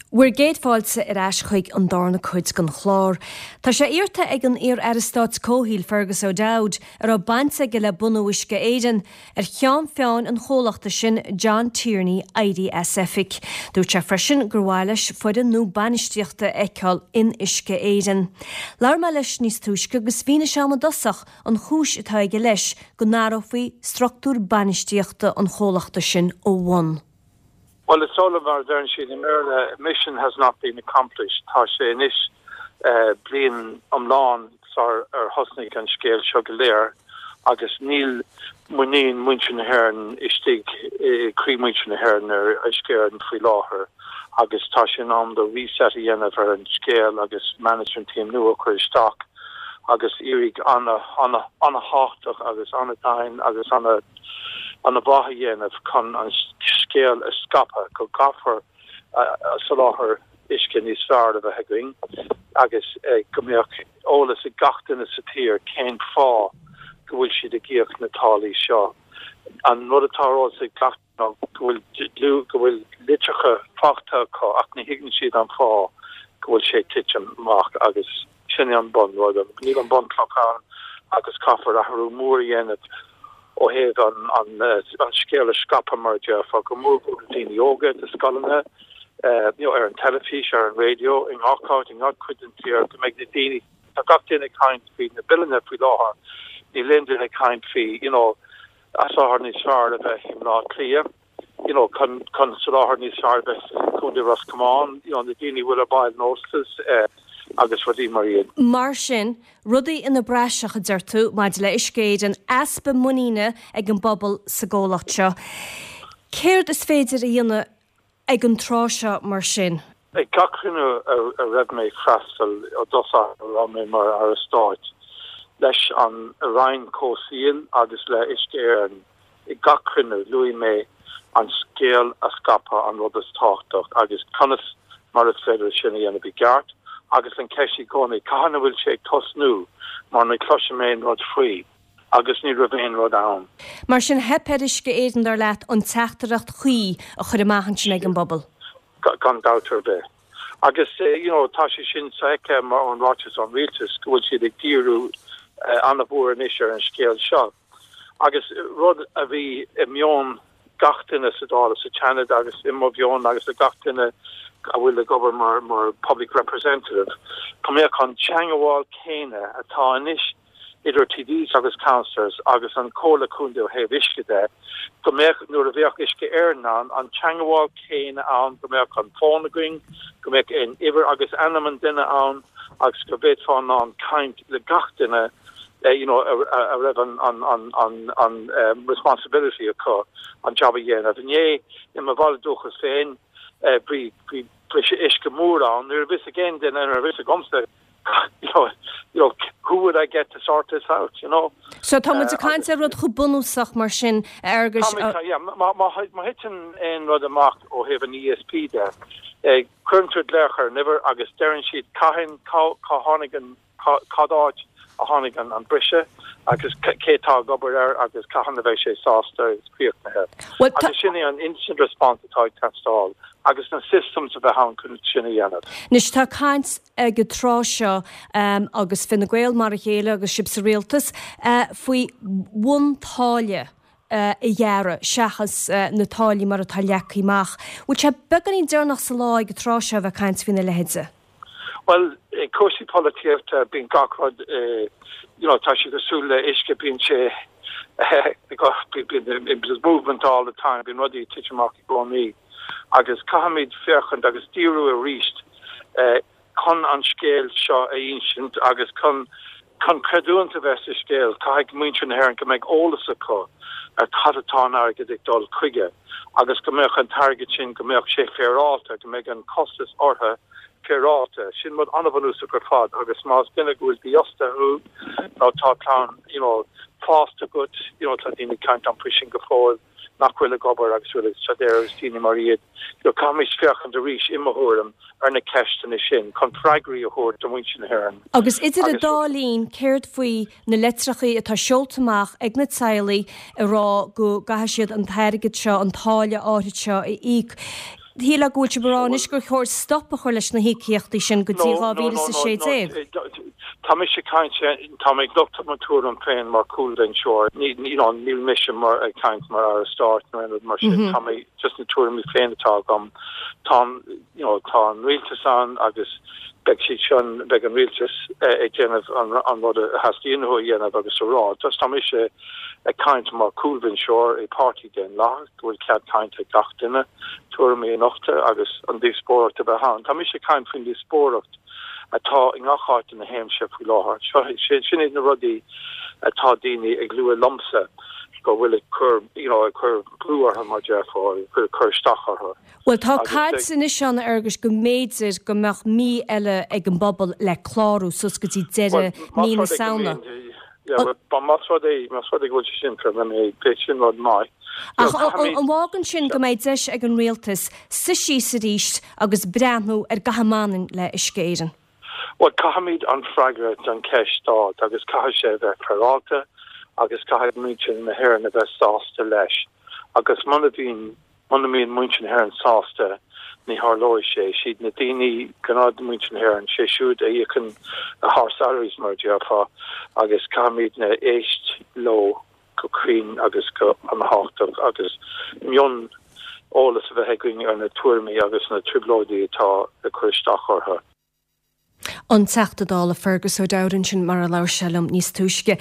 Bhur gcéad fáilte ar ais chuig an darna cuid den chlár. Tá sé iarrta ag an iar-aire stáit comhshaoil Fergus O'Dowd, a raibh baint aige le bunú Uisce Éireann, ar cheann feadhain an chomhlachta sin, John Tierney, éirí as oifig. Dúirt sé freisin gur mhaith leis foireann nua bainistíochta a fheiceáil in Uisce Éireann. Labhair mé leis níos túisce agus mhínigh sé dom i dtosach an chúis atá aige leis go n-athrófaí struchtúr bainistíochta an chomhlachta sin ó bhun. Bhuel, is dóigh liom, mar a deireann siad i mBéarla, mission has not been accomplished. Tá sé anois bliain iomlán sar ar thosnaigh an scéal seo go léir agus níl muinín muintir na hÉireann istigh i gcroí muintir na hÉireann ar Uisce Éireann faoi láthair agus tá sé in am do reset a dhéanamh ar an scéal agus management team nua a chur isteach agus iarraidh an-an-an-thábhachtach agus an-domhain agus ana an-mhaith a dhéanamh chun an scéal a scaipeadh go gcaithfear soláthar uisce níos fearr a bheith againn agus go mbeadh eolas ag gach duine sa tír cén fáth go bhfuil siad ag íoc na táillí seo. An rud atá ar eolas ag gach ná go bhfuil go bhfuil litreacha faighte acu ach ní thuigeann siad an fáth go bhfuil sé ag titim amach agus Sin é an bun rud. Níl an bunchloch ann agus caithfear athrú mór a dhéanamh ó thaobh an scéal a scaipeadh, mar a déarfá, go mór mhór do daoine óga, do scoileanna, you know, ar an teilifís, ar an raidió, i ngach áit, i ngach cuid den tír, go mbeidh na daoine, tá gach duine ag caint faoi na billeanna faoi láthair, níl aon duine ag caint faoi, you know, soláthar níos fearr a bheith i mBleá Cliath. you know, chun, chun soláthar níos fearr a bheith i gContae Ros Comáin, you know, na daoine a bhfuil ar baill an óstais eh, agus rudaí mar iad. Mar sin, rudaí ina bpraiseach, a deir tú, maidir le Uisce Éireann, easpa muiníne ag an bpobal sa gcomhlacht seo. Céard is féidir a dhéanamh ag an tráth seo mar sin? Ag gach cruinniú a raibh mé ag freastal ó dtosach a raibh mé mar Aire Stáit, leis an Roinn Comhshaoil agus le Uisce Éireann, ag gach cruinniú luaigh mé an scéal a scaipeadh an rud is tábhachtach agus conas mar is féidir sin a dhéanamh i gceart agus an ceist i gcónaí cathain a bhfuil sé ag tosnú mar ní chloisim aon rud faoi agus ní raibh aon rud ann. Mar sin theip ar Uisce Éireann dar leat an teachtaireacht chuí a chur amach ansin ag an bpobal? Gan dabht ar bith. Agus you know tá sé sin sofheicthe mar ón ráiteas ón rialtas go bhfuil siad ag díriú an-mhór anois ar an scéal seo. Agus rud a bhí i meon gach duine sa Dáil is sa tSeanad agus i mo mheon agus ag gach duine a bhfuil ag obair mar mar public representative, go mbeadh an teangabháil céanna atá anois idir TDs agus councillors agus an Comhairle Contae ó thaobh uisce de, go mbeadh, nuair a bheadh Uisce Éireann ann, an teangabháil céanna ann, go mbeadh an fón againn, go mbeadh an uimhir agus ainm an duine ann agus go bhféadfá in ann caint le gach duine you know, a raibh an, an, an, an, an responsibility acu an job a dhéanamh. Inné, i mo bhaile dúchas féin, bhí, bhí briseadh uisce mór ann, ní raibh fhios ag aon duine, ní raibh fhios agamsa you know, you know, who would I get to sort this out, you know? So tá muid ag caint ar rud chomh bunúsach mar sin, a Fhearghuis. Tá muid, yeah, má, má, má thiteann aon rud amach ó thaobh an ESB de, eh, cuireann tú glaoch ar an uimhir agus deireann siad cathain, cá, cá tháinig an, cá, cad áit a tháinig an, an briseadh agus cé tá ag obair air agus cathain a bheidh sé sásta agus críochnaithe. Well, tá. Agus sin é an instant response atá ag teastáil agus na systems a bheith ann chun sin a dhéanamh. Anois tá caint ag an tráth seo, agus Fine Gael mar a chéile agus sibh sa rialtas, faoi bhun-táille a ghearradh seachas na táillí mar atá leagtha amach. Bhfuil sé beagáinín deireanach sa lá ag an tráth seo a bheith ag caint faoina leithéide? Bhuel, i cúrsaí polaitíochta bíonn gach rud, you know, tá sé cosúil le uisce, bíonn sé, bíonn, there's movement all the time, bíonn rudaí ag titim amach i gcónaí. Agus caithfimid féachaint agus díriú arís chun an scéal seo a insint agus chun chun creidiúint a bheith sa scéal, caithfidh muintir na hÉireann go mbeidh eolas acu ar cad atá an airgead ag dul chuige agus go mbeadh an t-airgead sin, go mbeadh sé féaráilte, go mbeidh an costas orthu féaráilte. Sin rud an-bhunúsach ar fad agus más duine go bhfuil dífhostaithe thú nó tá clann you know fásta agat, you know tá daoine ag caint liom faoi sin go fóill, nach bhfuil ag obair agus bhfuil ag staidéar agus daoine mar iad. You know, caithfimid féachaint arís, i mo thuairim, ar na ceisteanna sin chun freagraí a thabhairt do mhuintir na hÉireann. Agus idir an dá linn, céard faoi na litreachaí atá seolta amach ag na teaghlaigh ag rá go gcaithfidh siad an t-airgead seo, an táille áithrid seo a íoc? Shílfeá go bhfuil sibh ag rá anois gur chóir stop a chur leis na híocaíochtaí sin go dtí 2016. Tá mise ag caint, tá mé ag nochtadh mo tuairim féin mar chúlbhinseoir, you know, níl mise mar ag caint mar Aire Stáit nó aon rud mar sin, tá mé just na tuairimí féin atá agam. Tá, you know, tá an rialtas ann agus beidh siad sin, beidh an rialtas ag déanamh an rud a theastaíonn uathu a dhéanamh agus a rá. Just tá mise ag caint mar chúlbhinseoir i páirtí daonlathach go bhfuil cead cainte ag gach duine, tuairimí a nochtadh agus an díospóireacht a bheith ann. Tá mise ag caint faoin díospóireacht atá i ngach áit ina théimse faoi láthair. Seo, sin iad na rudaí atá daoine ag lua liomsa go bhfuil ag cur, you know, ag cur brú orthu mar déarfá, ag cur isteach orthu. Bhuel, tá caint anois ann, a Fhearghuis, go mb'fhéidir go mbeadh mí eile ag an bpobal le clárú suas go dtí deireadh mí na Samhna. Más rud é, más rud é go bhfuil sé sin fíor, beidh sin rud maith. Ach an bhfágann sin go mbeidh deis ag an rialtas suí síos arís agus breathnú ar gach a mbaineann le Uisce Éireann? Bhuel, caithfimid an freagra don cheist a fháil agus caithfidh sé a bheith féaráilte agus caithfidh muintir na hÉireann a bheith sásta leis. Agus muna bhíonn, muna mbíonn muintir na hÉireann sásta, ní tharlóidh sé. Siad na daoine, gnáthmhuintir na hÉireann, sé siúd a íocann ár salaries, mar a déarfá, agus caithfimidne éist leo go cruinn agus go an-tábhachtach agus mion eolas a bheith againn ar na tuairimí agus na trioblóidí atá ag cur isteach orthu. An Teachta Dála Fergus O'Dowd ansin mar a labhair sé liom níos túisce.